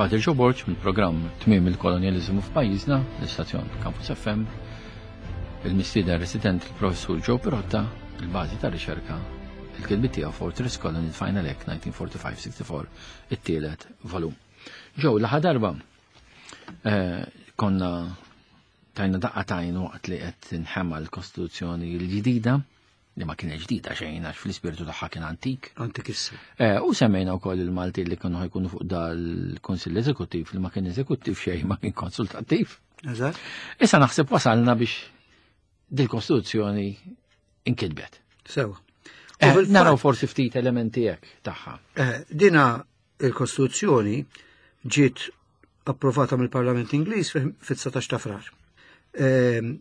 Father Joe Borg mill-programm Tmiem il-Kolonjaliżmu f'pajjiżna, l-istazzjon Campus FM, il-mistieden resident il-Professur Joe Pirotta, il-bażi ta' riċerka, il-kitbiet tiegħu Fortress Colony Final Act 1945-64, it-tielet volum. Joe, l-aħħar darba eh, konna tajna daqqa tajn waqt li qed tinħema l-Kostituzzjoni l-ġdida li ma kienet ġdida xejn għax fl-ispirtu tagħha kien antik. Antik issa. Eh, u semmejna wkoll il-Malti li kienu ħajkunu fuq dal-Kunsill Eżekuttiv li ma kien eżekuttiv xejn ma kien konsultattiv. Eżatt. Issa naħseb wasalna biex dil-Kostituzzjoni inkitbet. Sewa. Eh, naraw forsi ftit elementi hekk tagħha. Eh, dina il-Kostituzzjoni ġiet approvata mill-Parlament Ingliż fit-19 ta' frar. Ehm,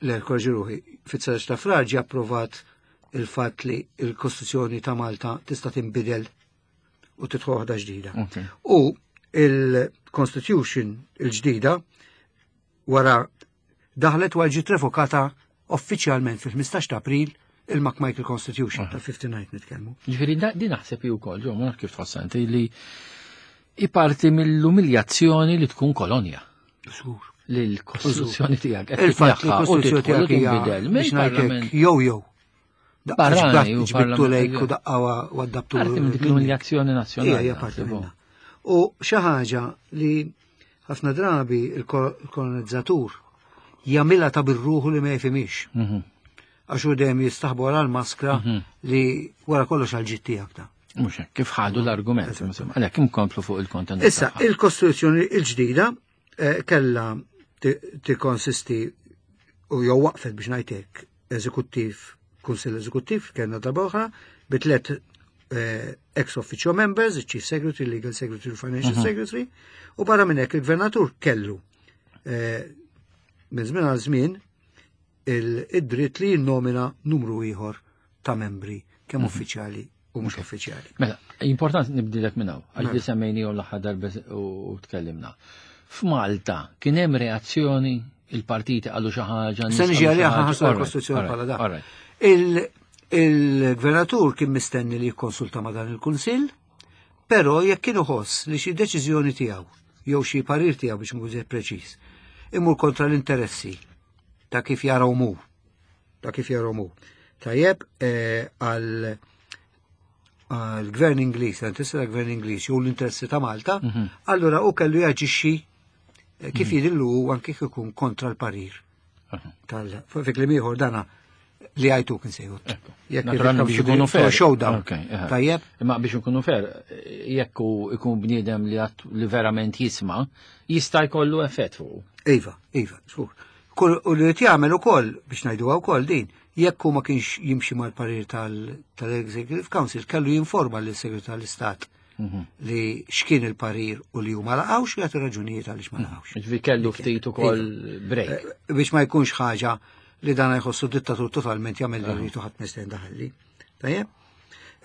le, korġi ruħi, fit-19 ta' frar ġie approvat il-fatt li il-Kostituzzjoni ta' Malta tista' tinbidel u tidħol waħda ġdida. U il-Constitution il-ġdida wara daħlet wara ġiet revokata uffiċjalment fil-15 ta' April il-McMichael Constitution tal-59 nitkellmu. Ġifieri din naħseb hi wkoll, ġo ma kif tħossha inti li hi parti mill-umiljazzjoni li tkun kolonja. Żgur. Li l-kostituzzjoni tiegħek qed Il-fatt li l-kostituzzjoni tiegħek hija biex ngħidlek jew jew. Barrani u ġbittu lejk u daqqa u għaddabtu. Parti minn dik l-umiljazzjoni nazzjonali. Hija parti minnha. U xi ħaġa li ħafna drabi il-kolonizzatur jagħmilha ta' birruħu li ma jifhimix. Mhm. Għax hu dejjem jistaħbu wara l-maskra mhm. li wara kollox għal ġid tiegħek ta'. Mhux hekk, kif ħadu l-argument, għalhekk inkomplu fuq il-kontenut. Issa, il-Kostituzzjoni il-ġdida eh, kella tikkonsisti u jew waqfet biex ngħidlek eżekuttiv, Kunsill Eżekuttiv, kellna darba oħra, bi tliet eh, ex officio members, il-Chief Secretary, Legal Secretary, Financial mhm. Secretary, u barra minn hekk il-Gvernatur kellu eh, minn żmien għal żmien id-dritt li jinnomina numru ieħor ta' membri kemm mhm. uffiċjali u mhux uffiċjali. Mela, importanti nibdilek minn hawn, għax li semmejni l-aħħar darba u tkellimna. F'Malta kien hemm reazzjoni il-partiti qalu xi ħaġa. Se niġi għalija ħaħarsu l-Kostituzzjoni bħala da. Il-gvernatur kien mistenni li jikkonsulta ma' dan il-Kunsill, però jekk kien iħoss li xi deċiżjoni tiegħu jew xi parir tiegħu biex nkun preċiż, imur kontra l-interessi ta' kif jaraw mu. Ta' kif jaraw mu. Tajjeb eh, għal għal-gvern Ingliż, l-interessi tal-gvern Ingliż jew l-interessi ta' Malta, mhm. allura u kellu jaġixxi eh, kif mhm. jidillu anke kif ikun kontra l-parir. Tal fi kliem ieħor dana li għajtu kien sejħu. Jekk biex ikunu fair. Showdown. Tajjeb. Imma biex ikunu fair, jekk ikun bniedem li verament jisma' jista' jkollu effett fuq. Iva, iva, żgur. U li jagħmel ukoll biex ngħiduha wkoll din, jekk hu ma kienx jimxi mal-parir tal-Executive Council, kellu jinforma lis-Segretarju tal-Istat mhm. li x'kien il-parir u li huma laqgħux u jagħti raġunijiet għaliex ma laqgħux. Ġifi kellu ftit ukoll iva. break. Eh, biex ma jkunx ħaġa li dan jħossu dittatur totalment jagħmel li rritu ħadd misten daħalli. Tajjeb?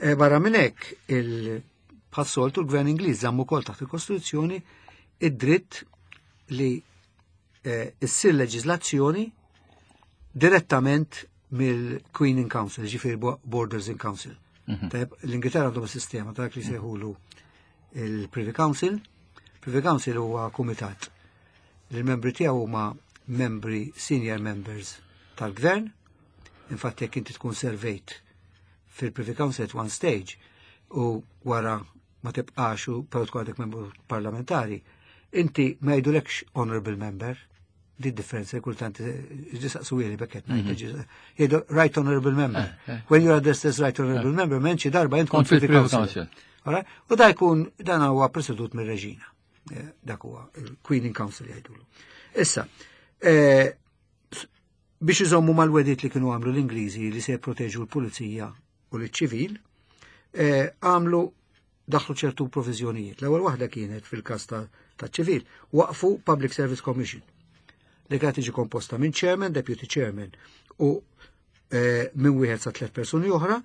Eh, barra minn hekk il-bħas-soltu l-Gvern Ingliż żamm ukoll taħt il-Kostituzzjoni id-dritt li eh, issir leġiżlazzjoni direttament mill-Queen in Council, ġifir Borders in Council. Mhm. Tajb, l-Ingilterra għandhom sistema ta' li sejħulu il-Privy Council. Privy Council huwa kumitat li l-membri tiegħu huma membri senior members tal-gvern. Infatti jekk inti tkun servejt fil-Privy Council at one stage u wara ma tibqax u però tkun għadek membru parlamentari, inti ma jgħidulekx honorable member, di differenza kultant ġisaqsu jeli bekket mhm. jgħidu right honorable member. Eh, eh. When you are addressed as right honorable eh. member, menċi darba jent kont fil-Privy Council. U da jkun dan huwa presedut mir-reġina. Dak huwa il-Queen in Council jgħidulu. Issa, biex iżommu mal-wedit li kienu għamlu l-Ingliżi li se jipproteġu l-pulizija u l-ċivil, għamlu daħlu ċertu provizjonijiet. L-ewwel waħda kienet fil-każ ta' ċivil, waqfu Public Service Commission li kienet tiġi komposta minn chairman, deputy chairman u eh, minn wieħed sa tliet persuni oħra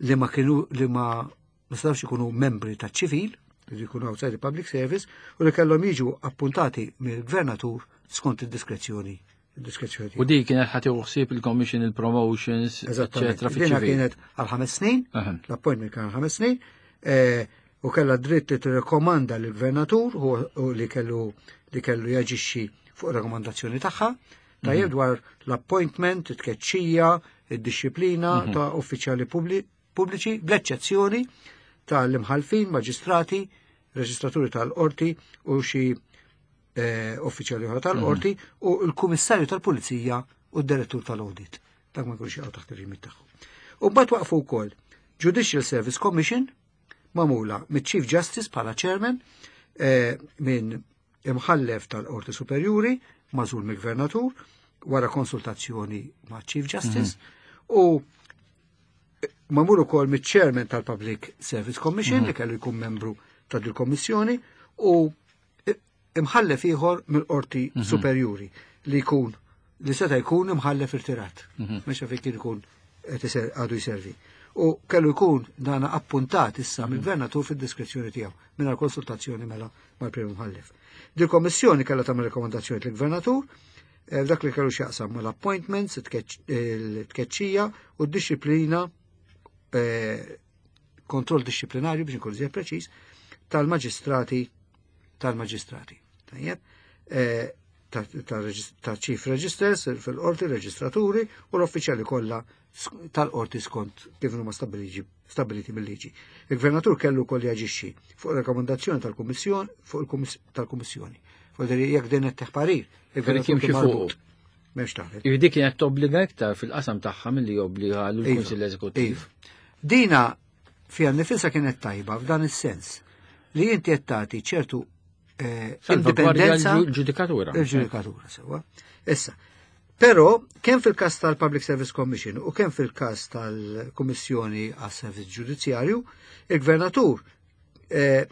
li ma kienu li ma ma setgħux ikunu membri ta' ċivil, li jkunu outside the public service, u li kellhom jiġu appuntati mill-gvernatur skont id-diskrezzjoni diskrezzjoni U di kienet ħati uħsib il-commission, il-promotions, eccetera. Dina kienet għal ħames snin, l-appointment kien għal ħames snin, eh, U kellha dritt li tirrekomanda lill-gvernatur u li kellu li kellu jaġixxi fuq rekomandazzjoni tagħha, tajjeb mhm. dwar l-appointment, it-tkeċċija, id-dixxiplina mhm. ta' uffiċjali pubbliċi, bl-eċċezzjoni tal-imħalfin, maġistrati, reġistraturi tal-qorti u xi eh, uffiċjali oħra tal-qorti mhm. u l-kummissarju tal-pulizija u d-direttur tal-audit. Dak ma jkunx jaqgħu taħt ir-rimit tagħhom. U mbagħad waqfu wkoll Judicial Service Commission magħmula miċ-Chief Justice bħala chairman eh, minn imħallef tal-Qorti Superjuri magħżul mill-Gvernatur wara konsultazzjoni ma' Chief Justice mm -hmm. u magħmul ukoll miċ-Chairman tal-Public Service Commission mm -hmm. li kellu jkun membru ta' dil-Kommissjoni u imħallef ieħor mill-Qorti mm -hmm. Superjuri li jkun li seta' jkun imħallef irtirat. Mm -hmm. Mhux fejn kien ikun għadu jservi. U kellu jkun dana appuntat issa mhm. mill-gvernatur fid-diskrezzjoni tiegħu mingħajr konsultazzjoni mela mal-Prim Imħallef. Dil kommissjoni kellha tagħmel rekomandazzjoni lill-gvernatur eh, f'dak li kellu x'jaqsam mal-appointments, it-tkeċċija u d-disciplina eh, kontroll disciplinarju biex nkun iżjed preċiż tal-maġistrati tal-maġistrati. Tajjeb, eh, ta' chief registers fil-qorti, reġistraturi u l-uffiċjali kollha tal-qorti skont kif huma stabiliti mill-liġi. Il-gvernatur kellu wkoll jaġixxi fuq rekomendazzjoni tal-Kummissjoni fuq tal-Kummissjoni. Fuq jekk din qed parir, il-gvernatur kien marbut. M'hemmx taħlet. Dik kienet tobbliga iktar fil-qasam tagħha milli jobbliga l-Kunsill iva, Eżekuttiv. Iva. Dina fiha nifisha kienet tajba f'dan is-sens li inti qed tagħti ċertu eh, indipendenza. Il-ġudikatura. Il-ġudikatura, sewa. Issa, però kemm fil-każ tal-Public Service Commission u kemm fil-każ tal-Kummissjoni għas-Servizz Ġudizzjarju, il-Gvernatur eh,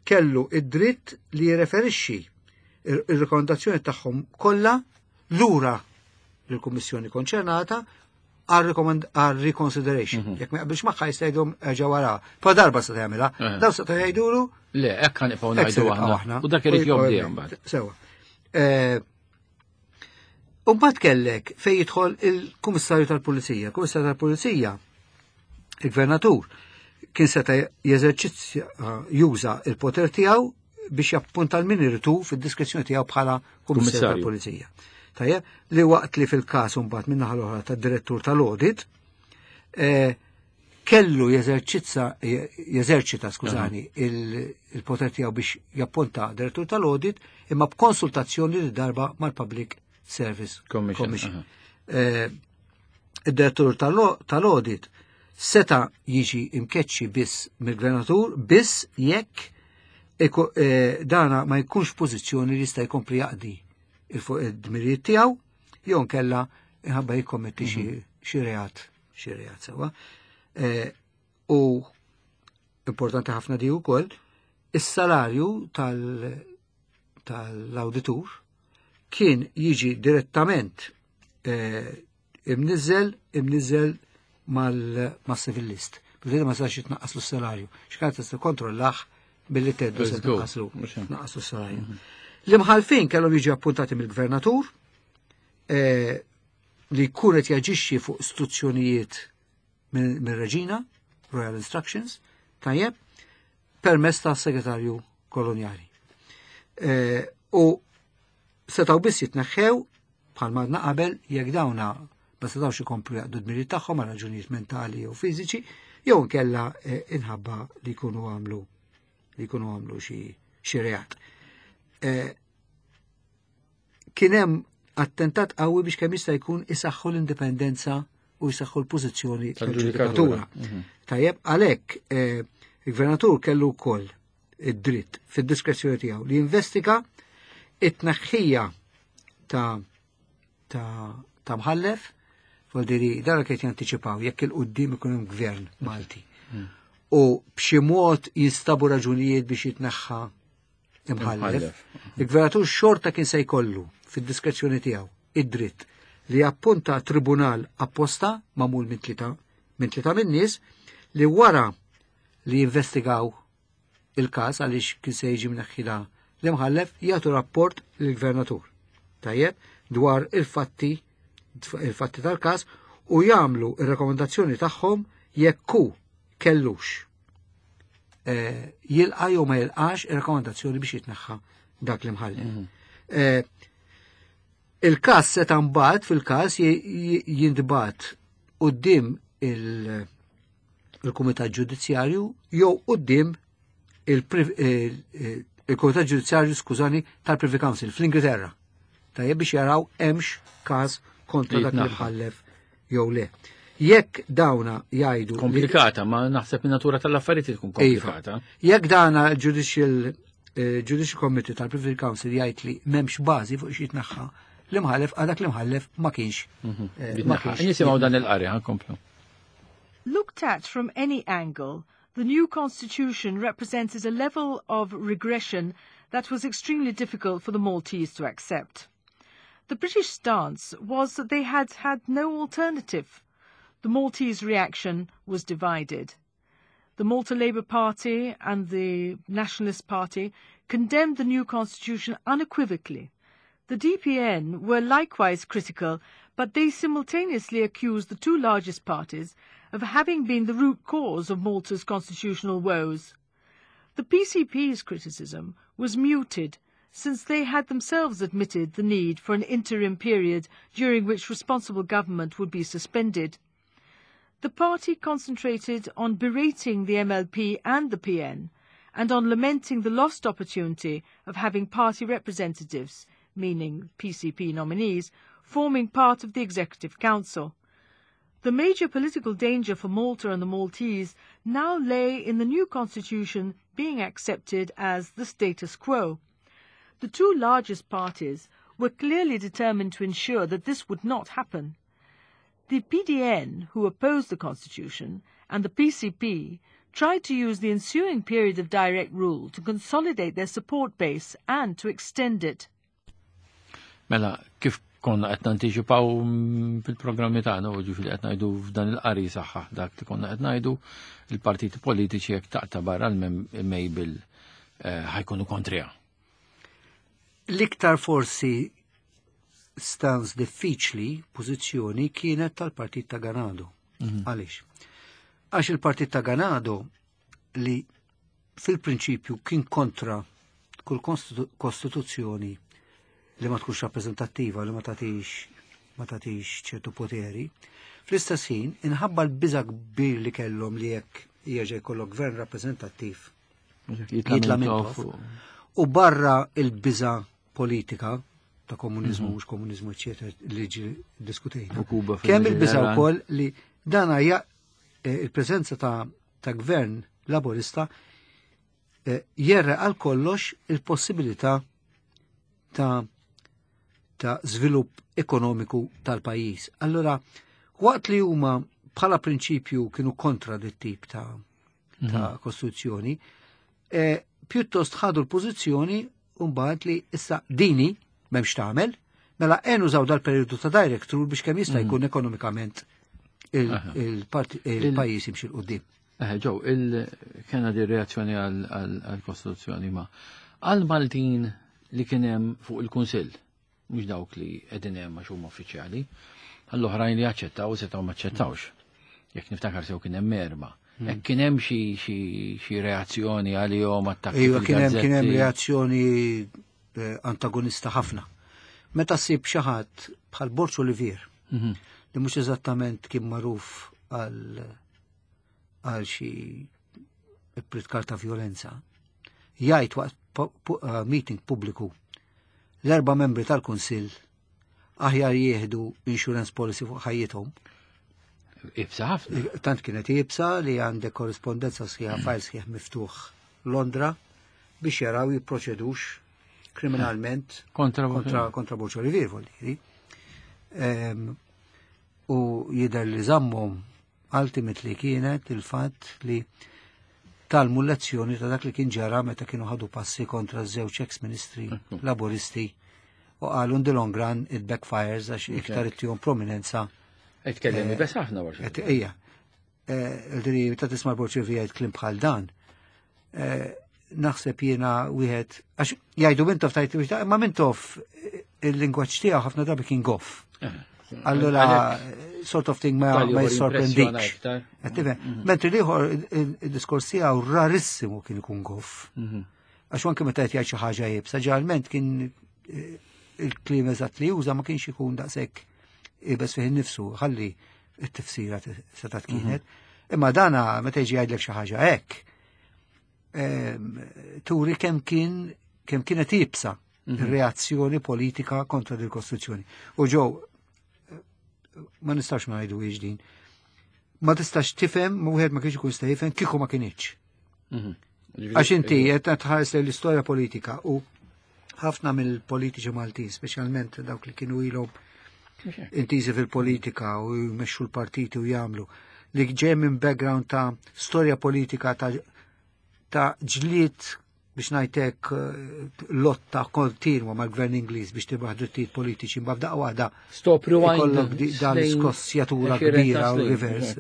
kellu id-dritt li jirreferixxi ir-rekomendazzjoni tagħhom kollha lura lill-Kummissjoni konċernata għal reconsideration. Mhm. Jekk ma jaqbilx magħha jista' jgħidhom erġa' wara. Pa darba se jagħmilha. Eh. Daw se jgħidulu. Le, hekk kan nibqgħu ngħidu aħna. U dak irid jobdi mbagħad. Sewa. Eh, u mbagħad kellek fejn jidħol il-Kummissarju tal-Pulizija. Kummissarju tal-Pulizija, il-Gvernatur, kien seta' jeżerċizzja juża il-poter tiegħu biex jappunta l-min irritu fid-diskrezzjoni tiegħu bħala kummissarju tal-Pulizija. Tajjeb, li waqt li fil-każ imbagħad min-naħa l-oħra tad-direttur tal-audit, eh, kellu jeżerċizza jeżerċita, skużani, il-poter tiegħu biex jappunta direttur tal-audit imma b'konsultazzjoni li darba mal-Public Service Commission. Eh, id-direttur tal-audit seta jiġi imkeċċi biss mill-gvernatur biss jekk eh, dana ma jkunx pożizzjoni li jista' jkompli jaqdi il-dmirijiet tiegħu jew nkella inħabba jikkommetti xi mhm. reat xi reat sewwa. Eh, u importanti ħafna di wkoll, is-salarju tal-awditur kien jiġi direttament eh, imniżel imniżel mal-civil list. Bżiet ma sax jitnaqqas l-salarju. X'kant tista' kontrollah billi teddu se tnaqqaslu tnaqqaslu s-salarju. Mhm. L-imħalfin kellhom jiġu appuntati mill-gvernatur eh, li jkun qed jaġixxi fuq istruzzjonijiet mir-reġina, Royal Instructions, tajjeb, permess ta' segretarju kolonjali. Eh, u setaw biss jitneħħew bħal madna qabel jekk dawna ma setawx ikomplu jaqdu d-dmirijiet tagħhom għal raġunijiet mentali jew fiżiċi, jew inkella eh, inħabba li jkunu għamlu li jkunu għamlu xi reat. Eh, kien hemm attentat qawwi biex kemm jista' jkun isaħħu l-indipendenza u jsaħħu l-pożizzjoni tal-ġudikatura. Mhm. Tajjeb, għalhekk eh, il-gvernatur kellu wkoll id-dritt fid-diskrezzjoni tiegħu li jinvestiga it-tneħħija ta' ta' ta' mħallef, voldiri dan kien jantiċipaw jekk il-qudiem ikun hemm gvern Malti. Mhm. U b'xi mod jinstabu raġunijiet biex jitneħħa imħallef. Il-gvernatur xorta kien se jkollu fid-diskrezzjoni tiegħu id-dritt li jappunta tribunal apposta magħmul minn tlieta minn tlieta min-nies li wara li jinvestigaw il-każ għaliex kien se jiġi mneħħila l-imħallef jagħtu rapport lill-gvernatur. Tajjeb, dwar il-fatti il-fatti tal-każ u jagħmlu ir-rekomendazzjoni tagħhom jekk hu kellux. Jilqa' jew ma jilqax ir-rakkomandazzjoni biex jitneħħa dak l-imħallef. Il-każ seta' mbagħad fil-każ jintbagħat quddiem il-Kumitat Ġudizzjarju jew quddiem il-Kumitat Ġudizzjarju, skużani, tal-Privy Council fl-Ingilterra. Tajjeb, biex jaraw hemmx każ kontra dak l-imħallef jew le. Jekk dawna jgħidu. Komplikata, ma naħseb natura tal-affarijiet tkun iva. komplikata. Jekk dana Judicial Committee tal-Privy Council jgħid li m'hemmx bażi fuq xi jitneħħa l-imħallef, għadak l-imħallef ma kienx. Ma kienx. Nisimgħu dan il-qari, ħa nkomplu. Looked at from any angle, the new constitution represented a level of regression that was extremely difficult for the Maltese to accept. The British stance was that they had had no alternative. The Maltese reaction was divided. The Malta Labour Party and the Nationalist Party condemned the new constitution unequivocally. The DPN were likewise critical, but they simultaneously accused the two largest parties of having been the root cause of Malta's constitutional woes. The PCP's criticism was muted, since they had themselves admitted the need for an interim period during which responsible government would be suspended. The party concentrated on berating the MLP and the PN and on lamenting the lost opportunity of having party representatives, meaning PCP nominees, forming part of the Executive Council. The major political danger for Malta and the Maltese now lay in the new constitution being accepted as the status quo. The two largest parties were clearly determined to ensure that this would not happen. The PDN, who opposed the constitution, and the PCP tried to use the ensuing period of direct rule to consolidate their support base and to extend it. Mela, kif konna qed nantiċipaw fil-programmi tagħna u ġifieri qed ngħidu f'dan il-qari saħħa dak li konna qed ngħidu, il-partiti politiċi jekk taqta' barra l-Mabel ħa jkunu kontriha. L-iktar forsi stance diffiċli, pożizzjoni, kienet tal-Partit ta' Ganado. Għaliex? Għax il-Partit ta' Ganado, li fil-prinċipju kien kontra kull kostituzzjoni li ma tkunx rappreżentattiva, li ma tagħtix ċertu poteri, fl-istess ħin inħabba l-biża kbir li kellhom li jekk jerġa' jkollok gvern rappreżentattiv jitla Mintoff. U barra il-biża politika ta' komunizmu, mhux komunizmu, eċetera, li ġi diskutejna. U Kuba. Kemm il-biża wkoll li dana hija il-preżenza ta' gvern laborista jerre għal kollox il-possibilità ta' żvilupp ekonomiku tal-pajjiż. Allora, waqt li huma bħala prinċipju kienu kontra dit tip ta' kostituzzjoni, pjuttost ħadu l-pożizzjoni mbagħad li issa dini m'hemmx tagħmel, mela ejja nużaw dal-periodu ta' direct rule biex kemm jista' jkun ekonomikament il-pajjiż jimxi 'l quddiem. Ġew, il-kena di reazzjoni għal-Kostituzzjoni, ma għal-Maltin li kien hemm fuq il-Kunsill, mhux dawk li qegħdin hemm għax huma uffiċjali, għall-oħrajn li aċċettaw setgħu ma aċċettawx. Jekk niftakar sew kien hemm erba'. Jekk kien hemm xi reazzjoni għalihom, attakki Iva, kien hemm fil-gazzetti. Reazzjoni antagonista ħafna. Meta ssib xi ħadd bħal Borg Olivier li mhux eżattament kien magħruf għal xi ippritkar ta' violenza, jgħid waqt meeting pubbliku l-erba' membri tal-Kunsill aħjar jieħdu insurance policy fuq ħajjithom. Iebsa ħafna. Tant kienet iebsa li għandek korrispondenza sħiħa, file sħiħ miftuħ Londra biex jaraw jipproċedux kriminalment Kontra kontra Borg Olivier, vuol dire. U jidher li żammhom ultimately kienet il-fatt li tgħallmu lezzjoni ta' dak li kien ġara meta kienu ħadu passi kontra żewġ ex-ministri laboristi u qalu in the long run it backfires għax iktar ittihom prominenza. Tkellem bes ħafna Borg. Ejja, il-diri ta' tisma' Borg Olivier jgħid kliem bħal dan. Naħseb jiena wieħed, għax jgħidu Mintoff tajt, ma Mintoff il-lingwaġġ tiegħu ħafna drabi kien goff. Allura sort of thing ma jissorprendikx. Mentri l-ieħor id-diskors tiegħu rarissimu kien ikun goff. Għax anke meta qed jgħid xi ħaġa iebsa, ġeneralment kien il-kliem eżatt li juża ma kienx ikun daqshekk iebes fih innifsu, ħalli it-tifsira setgħet kienet. Imma dana meta jiġi jgħidlek xi ħaġa hekk, turi kemm kien kemm kienet iebsa ir-reazzjoni politika kontra dil kostruzzjoni. U ġew ma nistax ma ngħidu din. Ma tistax tifhem, ma wieħed ma kienx ikun jista' jifhem kieku ma kinitx. Għax inti qed tħares lejn l-istorja politika u ħafna mill-politiċi Maltin, speċjalment dawk li kienu ilhom intiżi fil-politika u jmexxu l-partiti u jagħmlu, li ġej minn background ta' storja politika ta' ġlied biex ngħidlek lotta kontinwa mal-gvern Ingliż biex tirbaħ drittijiet politiċi, imma f'daqqa waħda Stop rewind. ikollok dan l-iskossjatura 20 ta' kbira u snin, reverse,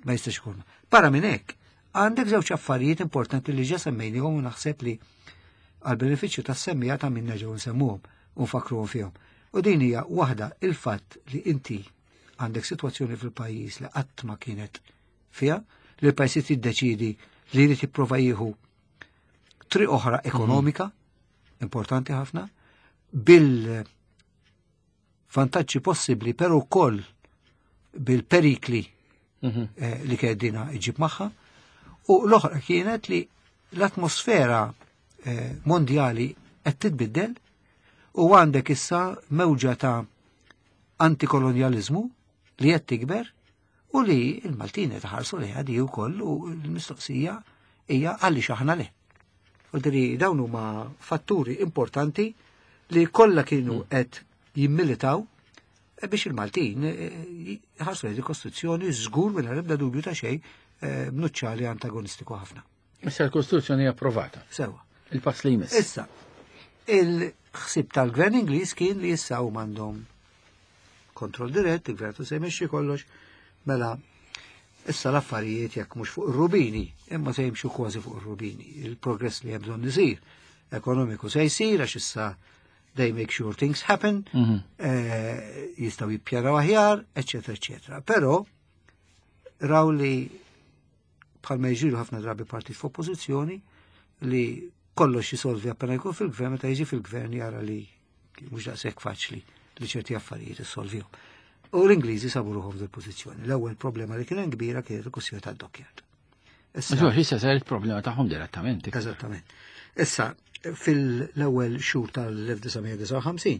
ma jistax ikun. Barra minn hekk, għandek żewġ affarijiet importanti li ġa semmejnihom u naħseb li għal benefiċċju tas-semmija ta' minna ġew nsemmuhom u nfakruhom fihom. U din hija waħda il-fatt li inti għandek sitwazzjoni fil-pajjiż li qatt ma kienet fiha, li l-pajjiż jiddeċidi li jrid jipprova jieħu triq oħra ekonomika, importanti ħafna, bil-vantaġġi possibbli, però wkoll bil-perikli li kedina iġib magħha. U l-oħra kienet li l-atmosfera mondjali qed titbiddel u għandek issa mewġa ta' antikolonjalizmu li qed tikber u li l-Maltin qed iħarsu lejha di wkoll u l-mistoqsija hija għaliex aħna le. U diri dawn huma fatturi importanti li kollha kienu qed jimmilitaw biex il-Maltin ħarsu lejn il-Kostituzzjoni żgur mingħajr ebda dubju ta' xejn b'nuċċali antagonistiku ħafna. Issa l-Kostituzzjoni hija approvata. Sewa. Il-pass li jmiss. Issa, il-ħsieb tal-Gvern Ingliż kien li issa huma għandhom kontroll dirett, il-gvern se jmexxi kollox, mela issa l-affarijiet jekk mhux fuq ir-rubini, imma se jimxu kważi fuq ir-rubini. Il-progress li hemm bżonn isir ekonomiku se jsir għax issa they make sure things happen, jistgħu jippjanaw aħjar, eċetera, eċetera. Però raw li bħalma jġiru ħafna drabi partit f'oppożizzjoni li kollox jisolvi appena jkun fil-gvern, meta jiġi fil-gvern jara li mhux daqshekk faċli li ċerti affarijiet issolvihom. U l-Ingliżi sabu ruħhom f'dil pożizzjoni. L-ewwel problema li kien hemm kbira kienet il-kwistjoni tad-dockyard. Issa, Issa, issa saret problema tagħhom direttament. Eżattament. Issa, fil-ewwel xhur tal-1959,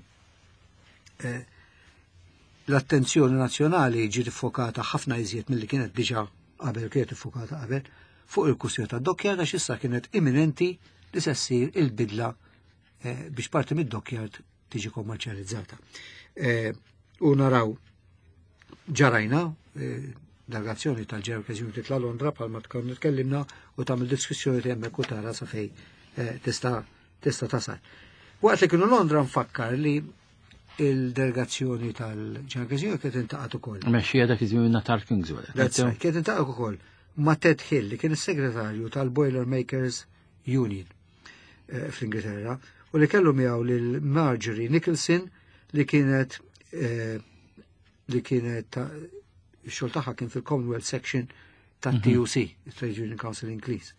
l-attenzjoni nazzjonali ġiet iffokata ħafna iżjed milli kienet diġà qabel, kienet iffokata qabel, fuq il-kwistjoni tad-dockyard għax issa kienet imminenti li se ssir il-bidla biex parti mid-dockyard tiġi kommerċjalizzata. U naraw ġarajna delegazzjoni tal-General Occasion titla' Londra bħalma tkun tkellimna u tagħmel diskussjoni hemmhekk u tara sa fej tista' tasal. Waqt li kienu Londra nfakkar li il-delegazzjoni tal-General Occasion kienet intaqgħet ukoll. Mexxija dak iż-żmien Natal Kingswell. That's right, kienet intaqgħet ukoll ma' Ted Hill li kien is-segretarju tal-Boilermakers Union fl-Ingilterra u li kellu miegħu lil Marjorie Nicholson li kienet ix-xogħol tagħha kien fil-Commonwealth Section ta' TUC, Trade Union Council Ingliż.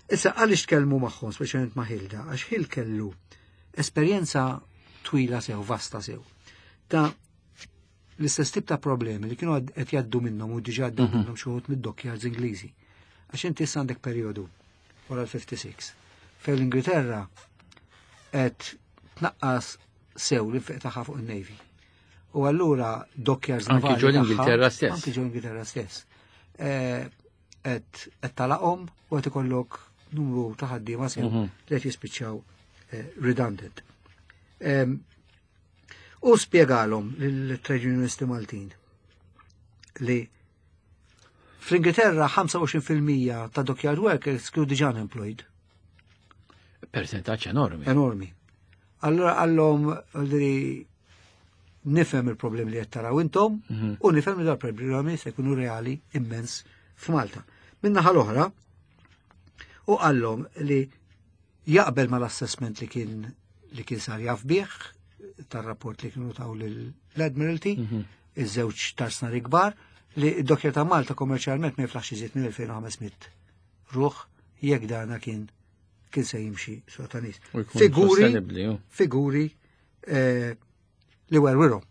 Issa għaliex tkellmu magħhom, speċjalment ma' Hilda, għax Hill kellu esperjenza twila sew, vasta sew, ta' l-istess tip ta' problemi li kienu qed jgħaddu minnhom u diġà għaddew minnhom xi wħud mid-dockyards Ingliżi. Għax inti issa għandek perjodu wara l-56 fejn l-Ingilterra qed tnaqqas sew l-infiq tagħha fuq in-Navy. U allura dockyards Anki navali ġol tagħha, Ingilterra stess. Anki ġol Ingilterra stess. Qed talaqhom u qed ikollok numru ta' ħaddiema sew li qed jispiċċaw redundant. U spjegalhom lill-trade unionisti Maltin li fl-Ingilterra 25% ta' dockyard workers kienu diġà unemployed. Percentaġġ enormi. Enormi. Allora għallhom li nifhem il-problemi li qed taraw intom u nifhem li dal-problemi se jkunu reali immens f'Malta. Min-naħa l-oħra, u qallhom li jaqbel mal-assessment li kien sar jaf bih tar-rapport li kienu taw l-Admiralty, iż-żewġ tarsnari kbar li d-dockyard ta' Malta kommerċjalment ma jiflaħx iżjed minn 2500 ruħ jekk dana kien se jimxi so ta' nies. U jkun Figuri, sostenibbli, ju. figuri li werwirhom,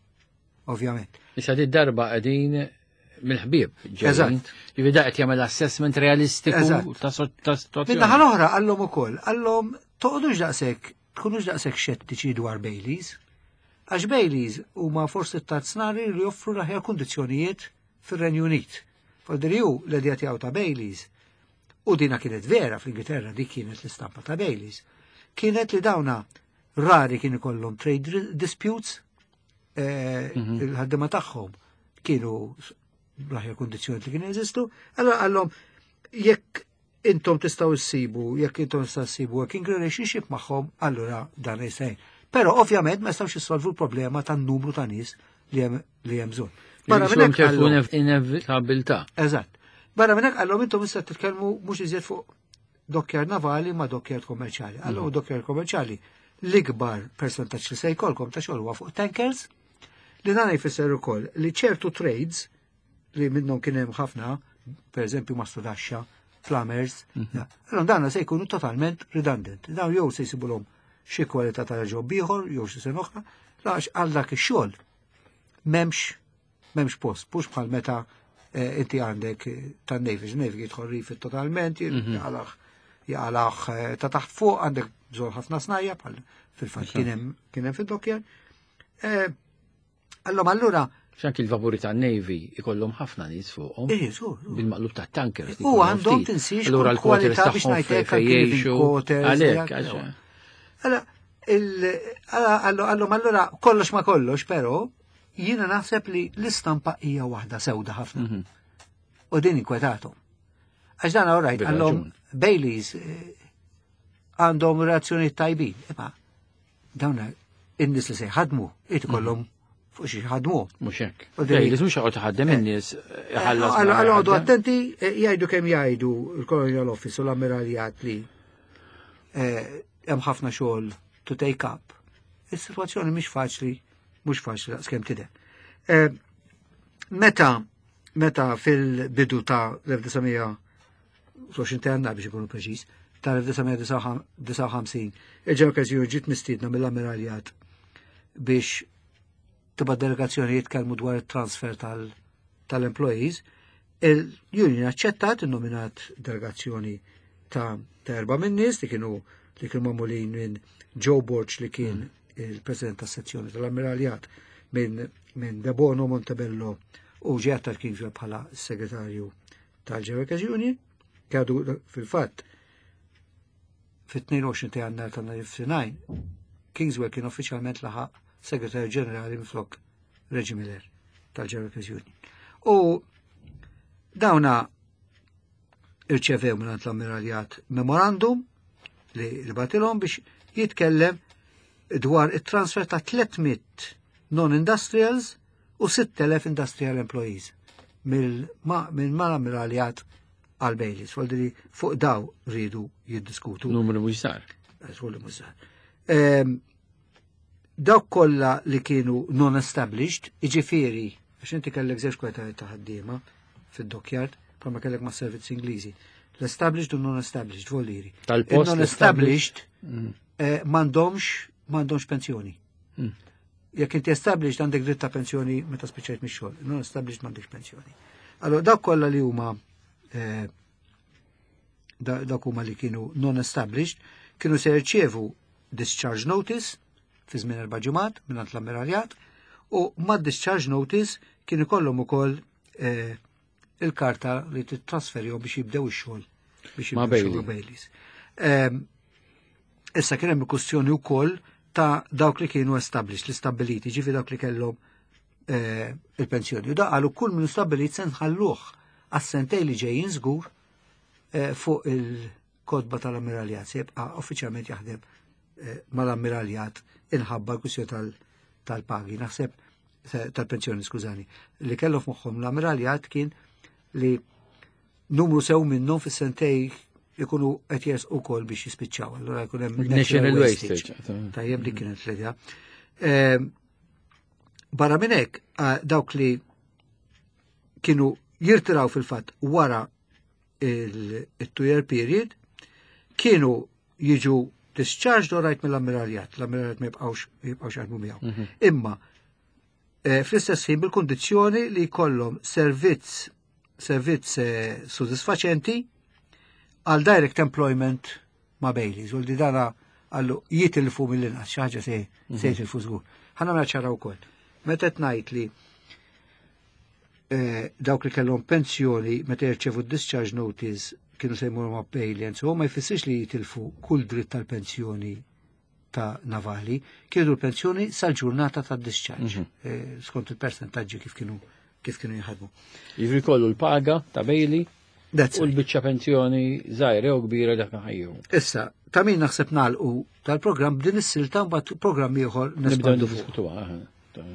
ovvjament. Issa di darba qegħdin mill-ħbieb ġejjin. Eżatt. Jiġifieri da qed jagħmel assessment realistiku Eżatt. ta' situazzjoni. Min-naħa l-oħra qallhom ukoll, qallhom toqgħodux daqshekk, tkunux daqshekk xettiċi dwar Baileys. Għax Baileys huma forsi t-tarznari li joffru l-aħjar kundizzjonijiet fir-Renju Unit. Fodri hu l-idea tiegħu ta' Baileys, u dina kienet vera fl-Ingilterra, dik kienet l-istampa ta' Baileys, kienet li dawna rari kien ikollhom trade disputes, il-ħaddiema tagħhom kienu l-aħjar kundizzjoni li kienu jeżistu, allora qallhom jekk intom tistgħu ssibu, jekk intom tistgħu ssibu working relationship magħhom, allura dan jistgħin. Però ovvjament ma jistgħux jissolvu l-problema tan-numru ta' nies li hemm bżonn. Barra minn hekk ċertu qallhom- inevitabilità. Eżatt. Barra minn hekk qallhom intom issa titkellmu mhux iżjed fuq dockyard navali ma dockyard kommerċjali. Allura dockyard kommerċjali l-ikbar percentaġġ li se jkollkom ta' xogħol huwa fuq tankers, li dan jfisser ukoll li ċertu trades li minnhom kien hemm ħafna, per eżempju mastrudaxxa, plumbers, allora dan se jkunu totalment redundant. Dawn jew se jsibulhom xi kwalità ta' job ieħor jew xi sena oħra, għax għal dak ix-xogħol m'hemmx post, mhux bħal meta inti għandek tan-Navy, Navy jidħol refit totalment, jaqalaħ ta' taħt fuq, għandek bżonn ħafna snajja, bħal fil-fatt kien hemm fid-dockyard. Allora, allura X'anki l-vapuri tan-Navy ikollhom ħafna nies fuqhom. Ej, żgur, żgur. Bil-maqlub ta' tankers li U jkollhom għandhom ftit. tinsiex Allura kull l-quarters kwalità biex tagħhom ngħidlek fejn anki living jgħixu. quarters, Għalhekk, jgħid, għax- Allora, allora, allora, kollox ma kollox, però jiena naħseb li l-istampa hija waħda sewda ħafna. U din inkwetatu. Għax dan all right, Bil-raġun. għallhom Baileys għandhom reazzjoni tajbin. Imma dawn in-nies li se jħadmu, irid ikollhom fuq xi ħadmu. Mhux hekk. U din- Baileys mhux joqgħod iħaddem in-nies iħallas ma Allora, għodu jħaddem. attenti, jgħidu kemm jgħidu il-Colonial Office u l-Ammiraljat li hemm ħafna xogħol to take up. Is-sitwazzjoni mhix faċli, mhux faċli daqskemm tidher. Meta fil-bidu ta' l-1920 ta' Jannar biex ikunu preċiż, ta' l-1959, il-General Workers Union ġiet mistiedna mill-Ammiraljat biex tibgħat delegazzjoni jitkellmu dwar il-transfer tal-employees, il-union aċċettat, innominat delegazzjoni ta' erba' minn nies li kienu magħmulin minn Joe Borg li kien il-president tas-sezzjoni tal-Ammiraljat, minn De Bono Montebello u ġie Attard Kingswell bħala segretarju tal-General Workers Union, kadu fil-fatt fit-22 ta' Jannar tal-1959 Kingswell kien uffiċjalment laħaq segretarju ġenerali minflok Reggie Miller tal-General Workers Union. U dawna irċevew minn l-Ammiraljat memorandum li batilhom biex jitkellem dwar it-transfer ta' 300 non-industrials u 6,000 industrial employees minn mal-Ammiraljat għal Baileys. Vuol fuq daw ridu jiddiskutu. Numru mhux żgħar. Żgur li mhux żgħar. Dawk kollha li kienu non-established, jiġifieri, għax inti kellek żewġ kwalitajiet ta' ħaddiema fid-dockyard, bħalma kellek ma' servizzi Ingliżi. L-established u non-established, vuol dire. Tal-post Il-non-established, m'għandhomx pensjoni. Jekk inti established għandek dritt ta' pensjoni meta spiċċajt mix-xogħol, non-established m'għandekx pensjoni. Allora dawk kollha li huma dawk huma li kienu non-established, kienu se jirċievu discharge notice fi żmien 4 ġimgħat minn l-Ammiraljat u ma' discharge notice kien ikollhom ukoll il-karta li titrasferihom biex jibdew ix-xogħol biex Ma' jibdew ix-xogħol Bailey. ma' Baileys. Issa kien hemm il-kwistjoni wkoll ta' dawk li kienu established, li stabiliti, ġifi dawk li kellhom il-pensjoni. U da qalu kull min stabilit se nħalluh għas-sentej li ġejjin żgur fuq il-kotba tal-Ammiraljat, se jibqa' uffiċjalment jaħdem mal-Ammiraljat inħabba l-kwistjoni tal-pagi, naħseb tal-pensjoni, skużani. Li kellu f'moħħhom l-Ammiraljat kien li numru sew minnhom fis-sentej ikunu qed jersqu wkoll biex jispiċċaw. Allura jkun hemm National natural wastage. wastage. Tajjeb, dik kienet l-idea. Barra minn hekk, dawk li kienu jirtiraw fil-fatt wara il-two-year period kienu jiġu discharged all right mill-ammiraljat, l-ammiraljat ma jibqgħux jaħdmu miegħu. Imma fl-istess ħin bil-kondizzjoni li jkollhom servizz sodisfaċenti għal direct employment ma' Bayleys, u li dana għallu jitilfu mill-inqas, xi ħaġa se jitilfu żgur. Ħa nagħmel ċara wkoll. Meta qed ngħid li dawk li kellhom pensjoni meta jirċevu discharge notice kienu se jmorru ma' Bailey and so ma jfissirx li jitilfu kull dritt tal-pensjoni ta' navali, kienu l-pensjoni sal-ġurnata ta' discharge, skont il-percentaġġi kif kienu jħadmu. Jiġri kollu l-paga ta' Bailey That's u l-biċċa pensjoni żgħira u kbira dak ħajju. Issa, ta' min naħseb nagħlqu tal-programm b'din is-silta, mbagħad programm ieħor Nibdew nespandu fuq. niddiskutuha.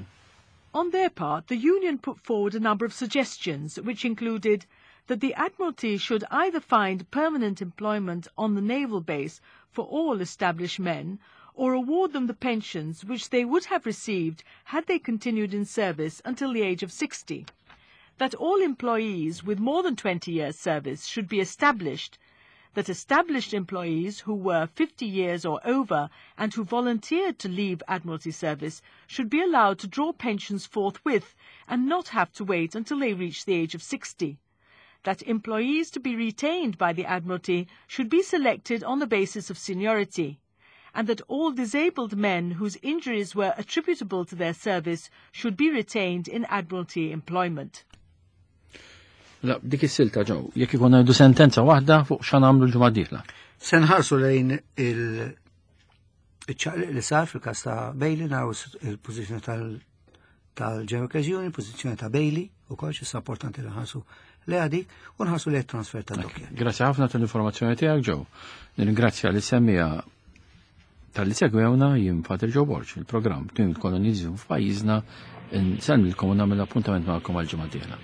On their part, the union put forward a number of suggestions, which included that the Admiralty should either find permanent employment on the naval base for all established men, or award them the pensions which they would have received had they continued in service until the age of 60. That all employees with more than 20 years' service should be established, that established employees who were 50 years or over and who volunteered to leave Admiralty service should be allowed to draw pensions forthwith and not have to wait until they reached the age of 60. That employees to be retained by the Admiralty should be selected on the basis of seniority, and that all disabled men whose injuries were attributable to their service should be retained in Admiralty employment. La, dik is-silta ġew, jekk ikun ngħidu sentenza waħda fuq x'għan nagħmlu l-ġimgħa d-dieħla. Se nħarsu lejn il-ċaqliq li sar fil-kas ta' Bailey, naraw il-pożizzjoni tal-General Union, il-pożizzjoni ta' Bailey, u kollox, issa importanti li nħarsu li għadi, u nħarsu li transfer ta' dockyard. Grazzi ħafna tal-informazzjoni tiegħek, Joe. Nirringrazzja li semmija talli segwewna. Jien Father Joe Borg, il-programm Tmiem il-Koloniżmu f'pajjiżna, nsellmilkom u nagħmel appuntament magħkom għal ġimgħa d-dieħla.